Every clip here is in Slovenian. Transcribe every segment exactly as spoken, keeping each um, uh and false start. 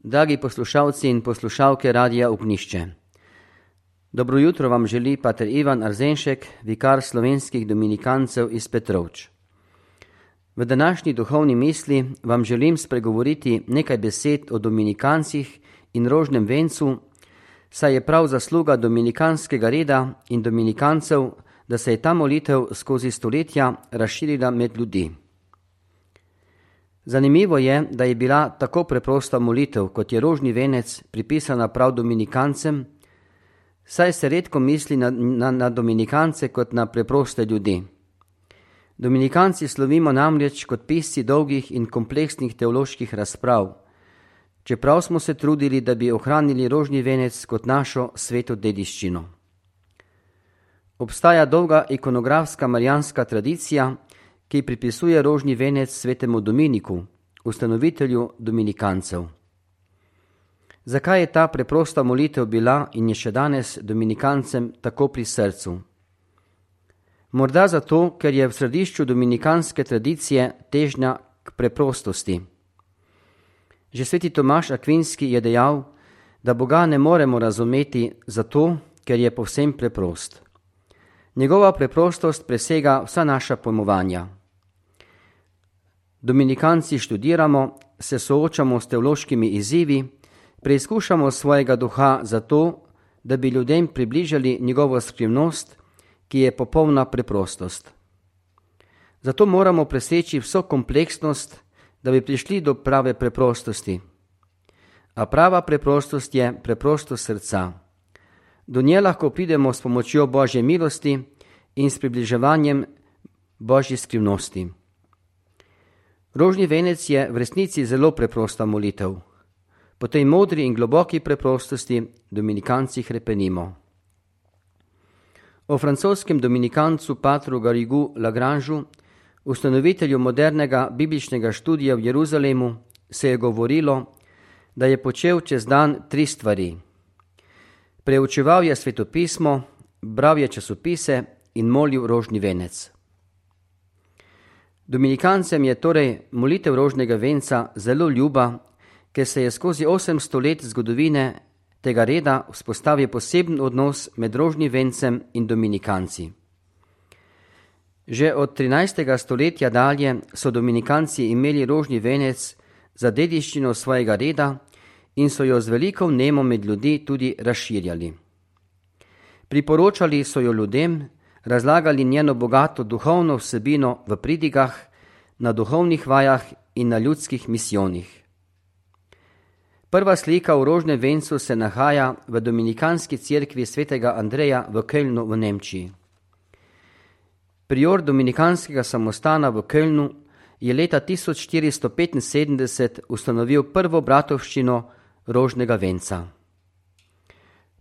Dragi poslušalci in poslušalke Radia Ognjišče. Dobro jutro vam želi pater Ivan Arzenšek, vikar slovenskih dominikancev iz Petrovč. V današnji duhovni misli vam želim spregovoriti nekaj besed o dominikancih in rožnem vencu, saj je prav zasluga dominikanskega reda in dominikancev, da se je ta molitev skozi stoletja razširila med ljudi. Zanimivo je, da je bila tako preprosta molitev, kot je rožni venec, pripisana prav dominikancem, saj se redko misli na, na, na dominikance kot na preproste ljudi. Dominikanci slovimo namreč kot pisci dolgih in kompleksnih teoloških razprav, čeprav smo se trudili, da bi ohranili rožni venec kot našo sveto dediščino. Obstaja dolga ikonografska marijanska tradicija, ki pripisuje rožni venec svetemu Dominiku, ustanovitelju dominikancev. Zakaj je ta preprosta molitev bila in je še danes dominikancem tako pri srcu? Morda zato, ker je v središču dominikanske tradicije težnja k preprostosti. Že sveti Tomaž Akvinski je dejal, da Boga ne moremo razumeti zato, ker je povsem preprost. Njegova preprostost presega vsa naša pojmovanja. Dominikanci študiramo, se soočamo s teološkimi izzivi, preizkušamo svojega duha zato, da bi ljudem približali njegovo skrivnost, ki je popolna preprostost. Zato moramo preseči vso kompleksnost, da bi prišli do prave preprostosti. A prava preprostost je preprostost srca. Do nje lahko pridemo s pomočjo Božje milosti in s približevanjem Božji skrivnosti. Rožni venec je v resnici zelo preprosta molitev. Po tej modri in globoki preprostosti dominikanci hrepenimo. O francoskem dominikancu patru Garrigou Lagrangeu, ustanovitelju modernega bibličnega študija v Jeruzalemu, se je govorilo, da je počel čez dan tri stvari. Preučeval je svetopismo, bral je časopise in molil rožni venec. Dominikancem je torej molitev rožnega venca zelo ljuba, ker se je skozi osemsto let zgodovine tega reda vzpostavil poseben odnos med rožnim vencem in dominikanci. Že od trinajstega stoletja dalje so dominikanci imeli rožni venec za dediščino svojega reda in so jo z veliko vnemo med ljudi tudi razširjali. Priporočali so jo ljudem, razlagali njeno bogato duhovno vsebino v pridigah, na duhovnih vajah in na ljudskih misijonih. Prva slika v rožnem vencu se nahaja v dominikanski cerkvi svetega Andreja v Kölnu v Nemčiji. Prior dominikanskega samostana v Kölnu je leta tisoč štiristo petinsedemdeset ustanovil prvo bratovščino rožnega venca.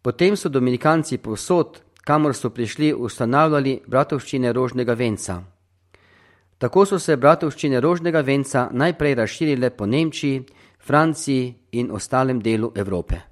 Potem so dominikanci povsod, kamor so prišli, ustanavljali bratovščine rožnega venca. Tako so se bratovščine rožnega venca najprej razširile po Nemčiji, Franciji in ostalem delu Evrope.